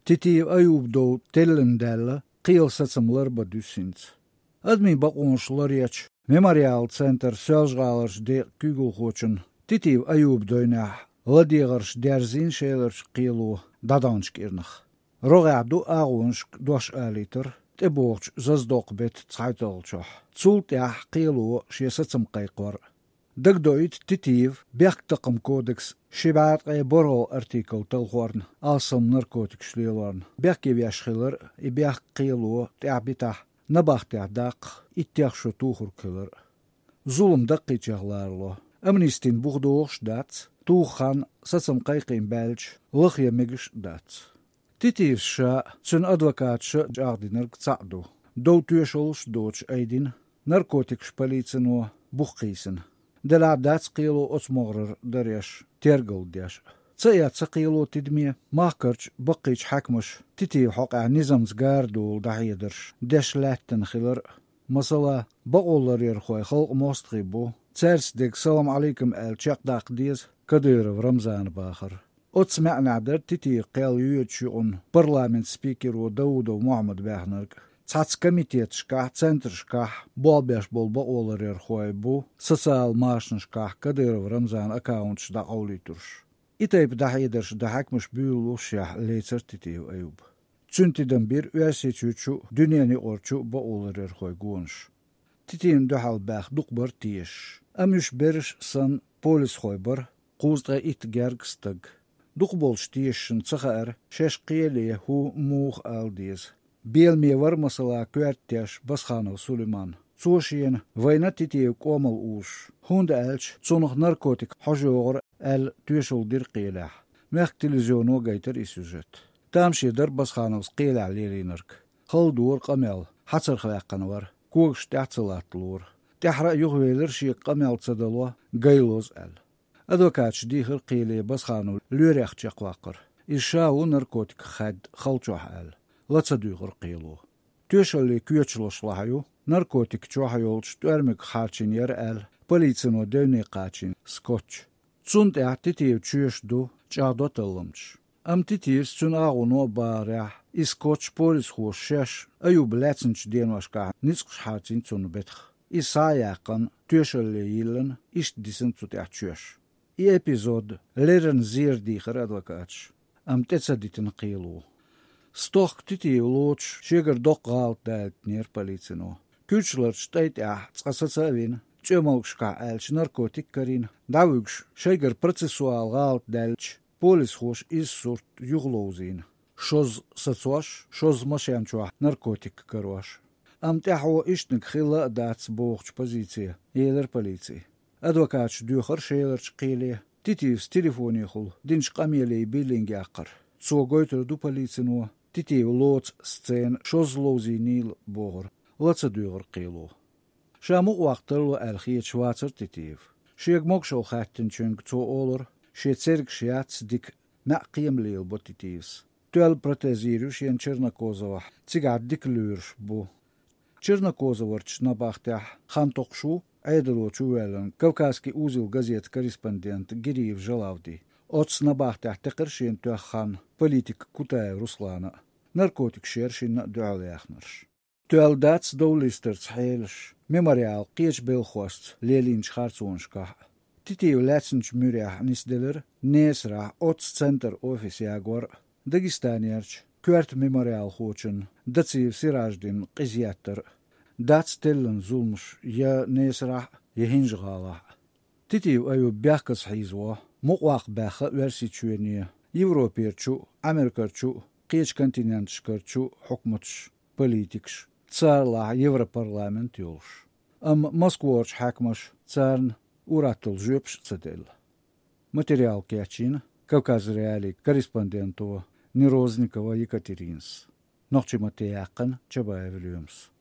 Titiýew Aýub dow tellen dälle Kyýyl saçamlar ba düsünç. Admi baqonşlar yaç Memorial Center sözgalarş de kügülhoçun. Titiýew Aýub doýnah Ladýegarş derzin şeylerş qıylu dadanç kirnah. Rogadu ağunş doş alitr. Teboğç zazdok bet tsaytolçoh. Цулт ях qıylu şesacım qayqor. Dagdoit Titiyev bek kodeks şibat ay borol artikel telhorn alsam narkotik şlelorn. Bek yashxilar i bek qıylu ta'bitah nabaqtah daq ittях şu tuhur kılır. Zulum daqqıcaqlarlo. Amnistin buğdoğş dat, tuğxan satsam qayqin belç, lıq yemegiş dat. Titiyev şa tsün advokatşı cağdinir tsa'du. Dou tüyeşolş doç aydin, narkotik şpolitsino buqqıyсын. Делабдац қилу оцмогрыр дөреш, тергл деш. Цая цақилу тидми, махкырч баққич хакмыш, тити хоқа низамс гардул дахидырш, деш ләттін хилыр. Масала, бағоллар ерхой халқ мостғи бу. Царс дек салам алейкум әл чақдақ дез, Кадыров Рамзан бахыр. Оцмә'нә дер тити қел юетшуун парламент спикеру Даудов Мухаммад бәхнерк. Цац комитет шках, центр шках, болбеш бол олар ерхой бу, социал машн шках, Кадыров Рамзан аккаунт шда аулитурш. Итайп дахидерш дахакмыш büyüluşyah leyцер титиев Аюб. Цүнтиден bir üyәсечүчү дүнияни орчу ба олар ерхой гуонш. Титиин дөхал бәх дукбар тиеш. Амүш бериш сан полис хойбар, қуздға ит гергстаг. Дукболш тиешшін цахар, шеш қиеле ху мух алдиз. Белме var масала күәрттеш Басханов Сулейман. Цошиен война титиев комал уш. Хунда әлч цунах наркотик хожоғыр әл түйешул дир қиелах. Мәх телевизиону гайтер и сюжет. Тамши дар Басханов қиелах лелинерк. Хал дур қамел, хацар хваққан var. Кугш тяцелатлур. Тяхра югвелер ши қамел цадало гайлоз әл. Адвокат дихыр қиеле Басханов лүрях чақвақыр. Ишау наркотик хад халчох әл. Лацадуйғыр қиылу. Төшөлі күйечлошлахаю, наркотик чуахайолч түәрмік хачин ер әл, полицино дөйне қачин скотч. Цунт ә титиев чүйеш ду, чаъдо тыллымч. Ам титиев цун ағуно барях, и скотч полис хуш аюб ләцинч денвашка ницқш хачин цун бетх. И саяқын төшөлі йылын ишт дисин цут ә чүйеш. И эпизод лерен зир дихыр адвокатш. Ам тецадитин қиылу. Стох титиев лоч, шегер док гаалт дәлтнер полицино. Күчлер штайт ә цқасацавин, чөмалгшка әлч наркотик карин, давыгш шегер процессуал гаалт дәлч, полис хош из сурт юглоузин. Шоз сацуаш, шоз машянчуа наркотик каруаш. Ам тяхо иштник хила дац богч позиция, елер полиции. Адвокатш дюхар шейлерч қиле, титиевс телефоне хул, динч қамелей биллинге ақыр. Цогойтер ду полицино, титиев лоц сцен шоз лоузинил боғыр, лаца дюғыр қилу. Шаму уақтырлы әлхие чвацыр титиев. Шег мокшол хаттин чөнг цо олыр, ше церк шиац дик мә қиемлейл бо титиевс. Төл протезирю шен Чернокозова, цигат дик лүрш бу. Чернокозоварч набахтях хан токшу, Айдыло чуэлен, Кавказский узел газет корреспондент Гириев Жалавди. Оц набахтях текыршин хан, политик Кутаев Руслана. Наркотик шершин дуаляхнарш. Туалдац доулистерц хейлш, мемориал қиеч белхост, лелинч харцуншка. Титиев ләцинч мюрях нисделер, несра оц центр офис ягор, Дагестанерч, күәрт мемориал хочын, дациев сираждин қизияттыр. Дац теллен зулмш, я несра, я хинжғала. Титиев аю бяхкас хизво, муқвақ бәхі верси чуене, Европерчу, Америкарчу, қиеч континентшкарчу, хукмутш, политикш, царла Европарламент юлш. Ам Москворч хакмаш, царн, ураттыл жөпш цедел. Материал кячин, Кавказ реалий корреспондентова, Нерозникова Екатеринс. Нохчи Матеяқын Чабаев Люмс.